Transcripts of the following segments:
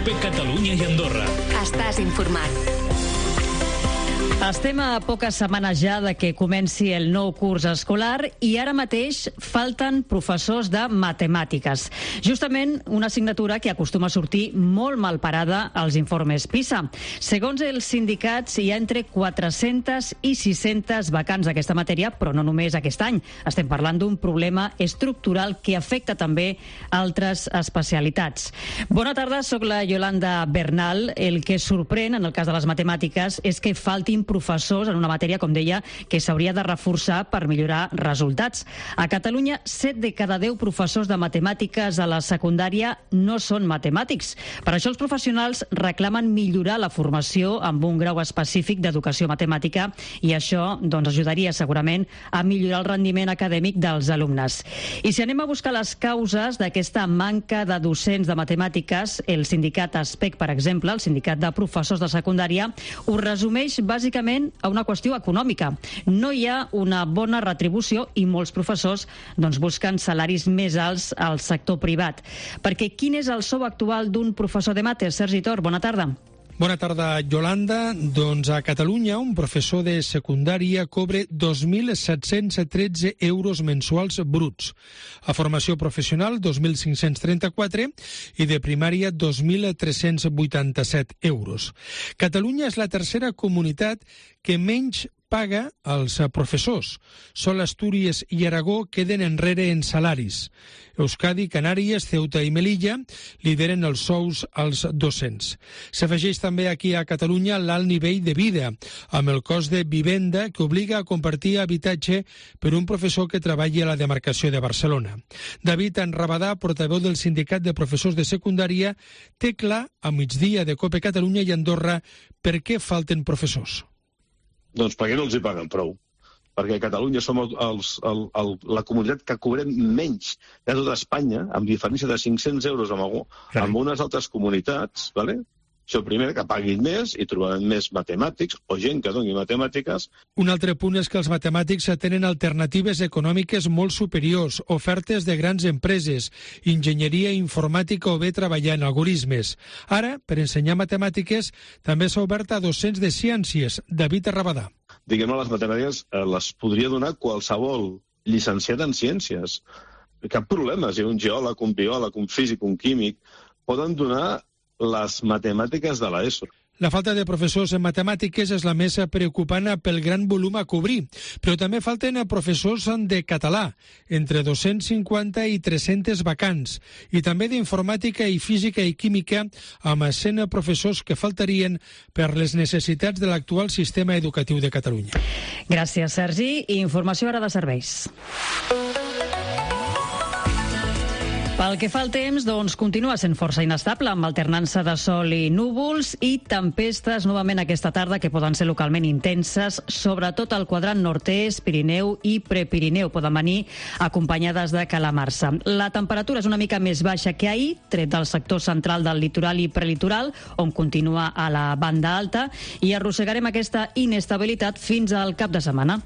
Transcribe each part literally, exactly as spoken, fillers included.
COPE Catalunya i Andorra. Estàs informat. Estem a poques setmanes ja de que comenci el nou curs escolar i ara mateix falten professors de matemàtiques. Justament una assignatura que acostuma a sortir molt mal parada als informes PISA. Segons els sindicats, hi ha entre quatre-centes i sis-centes vacants d'aquesta matèria, però no només aquest any. Estem parlant d'un problema estructural que afecta també altres especialitats. Bona tarda, sóc la Yolanda Bernal. El que sorprèn en el cas de les matemàtiques és que faltin professors en una matèria, com deia, que s'hauria de reforçar per millorar resultats. A Catalunya, set de cada deu professors de matemàtiques a la secundària no són matemàtics. Per això els professionals reclamen millorar la formació amb un grau específic d'educació matemàtica i això doncs, ajudaria segurament a millorar el rendiment acadèmic dels alumnes. I si anem a buscar les causes d'aquesta manca de docents de matemàtiques, el sindicat ASPEC, per exemple, el sindicat de professors de secundària, ho resumeix bàsicament a una qüestió econòmica. No hi ha una bona retribució i molts professors doncs, busquen salaris més alts al sector privat. Perquè quin és el sou actual d'un professor de mates? Sergi Tor, bona tarda. Bona tarda, Yolanda. Doncs a Catalunya un professor de secundària cobra dos mil set-cents tretze euros mensuals bruts. A formació professional, dos mil cinc-cents trenta-quatre i de primària, dos mil tres-cents vuitanta-set euros. Catalunya és la tercera comunitat que menys paga als professors. Sol Astúries i Aragó queden enrere en salaris. Euskadi, Canàries, Ceuta i Melilla lideren els sous als docents. S'afegeix també aquí a Catalunya l'alt nivell de vida, amb el cost de vivenda que obliga a compartir habitatge per un professor que treballa a la demarcació de Barcelona. David Enrabadà, portaveu del sindicat de professors de secundària, té clar a migdia de COPE Catalunya i Andorra per què falten professors. Doncs perquè no els hi paguen prou. Perquè a Catalunya som el, els, el, el, la comunitat que cobrem menys de tota Espanya, amb diferència de cinc-cents euros amb, algú, amb unes altres comunitats, ¿vale? Això primer, que paguin més i trobaran més matemàtics o gent que doni matemàtiques. Un altre punt és que els matemàtics tenen alternatives econòmiques molt superiors, ofertes de grans empreses, enginyeria informàtica o bé treballar en algoritmes. Ara, per ensenyar matemàtiques, també s'ha obert a docents de ciències. David Arrabadà. Diguem-ne, les matemàtiques eh, les podria donar qualsevol llicenciat en ciències. Cap problema, si un geòleg, un biòleg, un físic, un químic, poden donar les matemàtiques de l'ESO. La falta de professors en matemàtiques és la més preocupant pel gran volum a cobrir, però també falten professors de català, entre dos-cents cinquanta i tres-centes vacants, i també d'informàtica i física i química, amb cent professors que faltarien per les necessitats de l'actual sistema educatiu de Catalunya. Gràcies, Sergi. I informació ara de serveis. Pel que fa al temps, doncs continua sent força inestable, amb alternança de sol i núvols i tempestes novament aquesta tarda que poden ser localment intenses, sobretot al quadrant nord-est, Pirineu i Prepirineu. Poden venir acompanyades de calamarsa. La temperatura és una mica més baixa que ahir, tret del sector central del litoral i prelitoral, on continua a la banda alta, i arrossegarem aquesta inestabilitat fins al cap de setmana.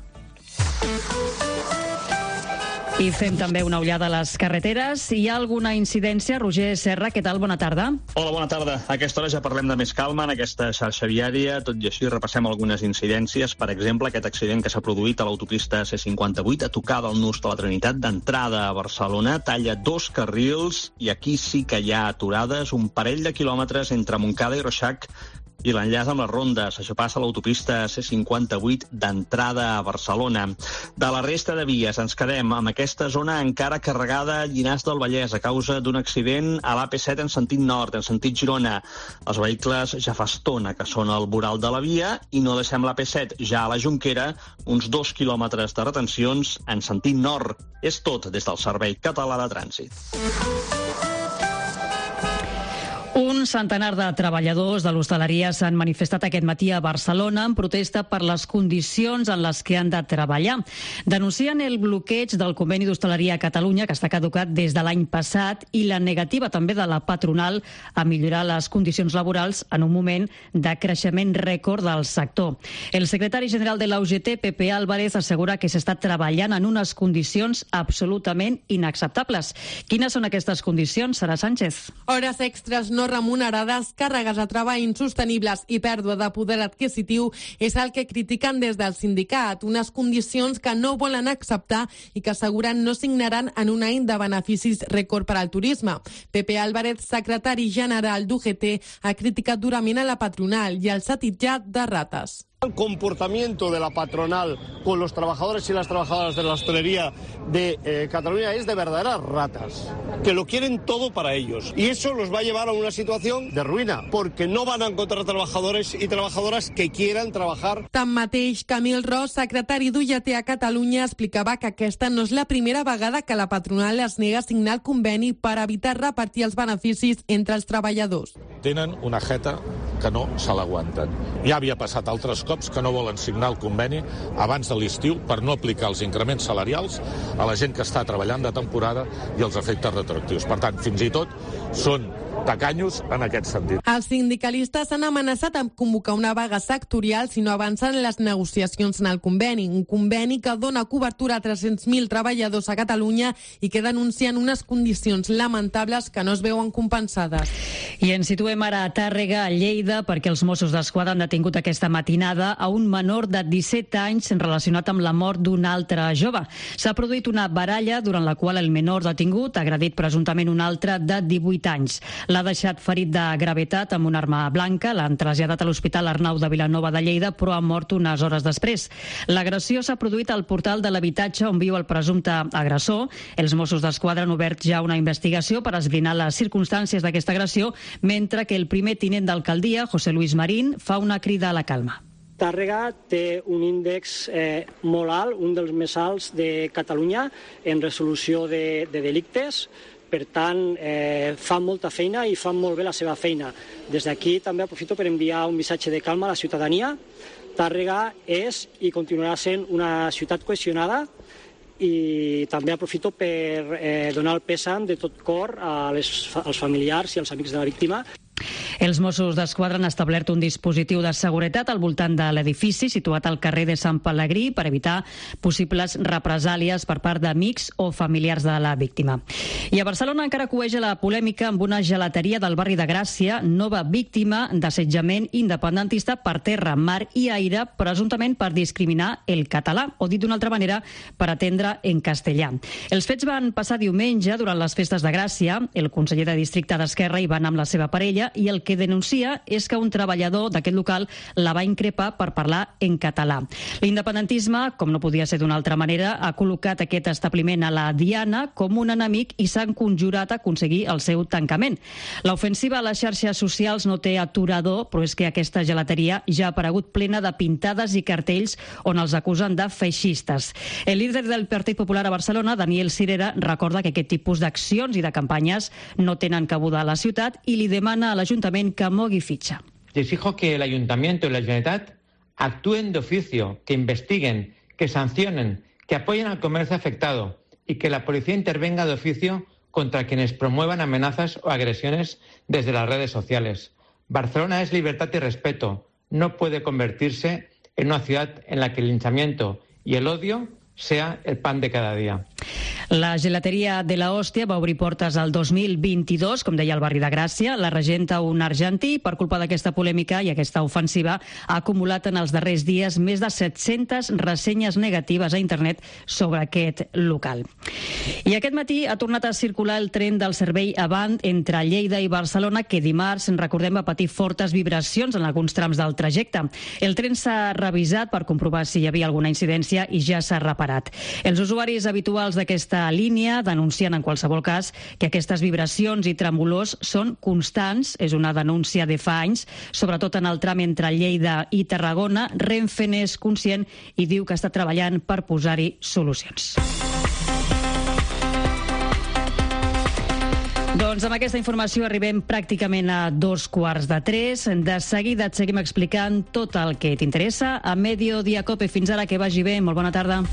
I fem també una ullada a les carreteres. Hi ha alguna incidència? Roger Serra, què tal? Bona tarda. Hola, bona tarda. A aquesta hora ja parlem de més calma en aquesta xarxa viària. Tot i així repassem algunes incidències. Per exemple, aquest accident que s'ha produït a l'autopista C cinquanta-vuit a tocar del Nus de la Trinitat d'entrada a Barcelona. Talla dos carrils i aquí sí que hi ha aturades, un parell de quilòmetres entre Montcada i Reixac i l'enllaç amb les rondes. Això passa a l'autopista C cinquanta-vuit d'entrada a Barcelona. De la resta de vies ens quedem amb aquesta zona encara carregada a Llinars del Vallès a causa d'un accident a l'A P set en sentit nord, en sentit Girona. Els vehicles ja fa estona que són al voral de la via i no deixem l'A P set ja a la Jonquera, uns dos quilòmetres de retencions en sentit nord. És tot des del Servei Català de Trànsit. Un centenar de treballadors de l'hostaleria s'han manifestat aquest matí a Barcelona en protesta per les condicions en les que han de treballar. Denuncien el bloqueig del conveni d'hostaleria a Catalunya, que està caducat des de l'any passat, i la negativa també de la patronal a millorar les condicions laborals en un moment de creixement rècord del sector. El secretari general de la U G T, Pepe Álvarez, assegura que s'està treballant en unes condicions absolutament inacceptables. Quines són aquestes condicions, Sara Sánchez? Hores extres no remunerades remunerades, càrregues de treball insostenibles i pèrdua de poder adquisitiu és el que critiquen des del sindicat, unes condicions que no volen acceptar i que asseguren no signaran en un any de beneficis rècord per al turisme. Pepe Álvarez, secretari general d'U G T, ha criticat durament a la patronal i els ha titllat de rates. El comportamiento de la patronal con los trabajadores y las trabajadoras de la hostelería de eh, Cataluña es de verdaderas ratas, que lo quieren todo para ellos. Y eso los va a llevar a una situación de ruïna, porque no van a encontrar trabajadores y trabajadoras que quieran trabajar. Tanmateix, Camil Ros, secretari d'U G T a Catalunya, explicava que aquesta no és la primera vegada que la patronal es nega a signar el conveni per evitar repartir els beneficis entre els treballadors. Tenen una jeta que no se l'aguanten. Ja havia passat altres cops que no volen signar el conveni abans de l'estiu per no aplicar els increments salarials a la gent que està treballant de temporada i els efectes retroactius. Per tant, fins i tot són tacanyos en aquest sentit. Els sindicalistes han amenaçat amb convocar una vaga sectorial si no avancen les negociacions en el conveni, un conveni que dona cobertura a tres-cents mil treballadors a Catalunya i que denuncien unes condicions lamentables que no es veuen compensades. I ens situem ara a Tàrrega, a Lleida, perquè els Mossos d'Esquadra han detingut aquesta matinada a un menor de disset anys relacionat amb la mort d'un altre jove. S'ha produït una baralla durant la qual el menor detingut ha agredit presumptament un altre de divuit anys. L'ha deixat ferit de gravetat amb una arma blanca, l'han traslladat a l'Hospital Arnau de Vilanova de Lleida, però ha mort unes hores després. L'agressió s'ha produït al portal de l'habitatge on viu el presumpte agressor. Els Mossos d'Esquadra han obert ja una investigació per esbrinar les circumstàncies d'aquesta agressió, mentre que el primer tinent d'alcaldia, José Luis Marín, fa una crida a la calma. Tàrrega té un índex eh, molt alt, un dels més alts de Catalunya en resolució de, de delictes. Per tant, eh, fan molta feina i fan molt bé la seva feina. Des d'aquí també aprofito per enviar un missatge de calma a la ciutadania. Tàrrega és i continuarà sent una ciutat cohesionada i també aprofito per eh, donar el pèsam de tot cor a les, als familiars i als amics de la víctima. Els Mossos d'Esquadra han establert un dispositiu de seguretat al voltant de l'edifici situat al carrer de Sant Pelegrí per evitar possibles represàlies per part d'amics o familiars de la víctima. I a Barcelona encara cueja la polèmica amb una gelateria del barri de Gràcia, nova víctima d'assetjament independentista per terra, mar i aire, presumptament per discriminar el català, o dit d'una altra manera, per atendre en castellà. Els fets van passar diumenge durant les festes de Gràcia. El conseller de districte d'Esquerra hi va anar amb la seva parella i el que denuncia és que un treballador d'aquest local la va increpar per parlar en català. L'independentisme, com no podia ser d'una altra manera, ha col·locat aquest establiment a la diana com un enemic i s'han conjurat a aconseguir el seu tancament. L'ofensiva a les xarxes socials no té aturador, però és que aquesta gelateria ja ha aparegut plena de pintades i cartells on els acusen de feixistes. El líder del Partit Popular a Barcelona, Daniel Sirera, recorda que aquest tipus d'accions i de campanyes no tenen cabuda a la ciutat i li demana a l'Ajuntament que mogui fitxa. Exijo que el Ayuntamiento y la Generalitat actúen de oficio, que investiguen, que sancionen, que apoyen al comercio afectado y que la policía intervenga de oficio contra quienes promuevan amenazas o agresiones desde las redes sociales. Barcelona es libertad y respeto. No puede convertirse en una ciudad en la que el linchamiento y el odio sea el pan de cada dia. La gelateria de la Hòstia va obrir portes al dos mil vint-i-dos, com deia el barri de Gràcia. La regenta un argentí. Per culpa d'aquesta polèmica i aquesta ofensiva ha acumulat en els darrers dies més de set-centes ressenyes negatives a internet sobre aquest local. I aquest matí ha tornat a circular el tren del servei Avant entre Lleida i Barcelona, que dimarts, recordem, va patir fortes vibracions en alguns trams del trajecte. El tren s'ha revisat per comprovar si hi havia alguna incidència i ja s'ha reparat. Els usuaris habituals d'aquesta línia denuncien en qualsevol cas que aquestes vibracions i tremolors són constants. És una denúncia de fa anys, sobretot en el tram entre Lleida i Tarragona. Renfe n'és conscient i diu que està treballant per posar-hi solucions. Doncs amb aquesta informació arribem pràcticament a dos quarts de tres. De seguida et seguim explicant tot el que t'interessa a Mediodía Cope. Fins ara, que vagi bé. Molt bona tarda.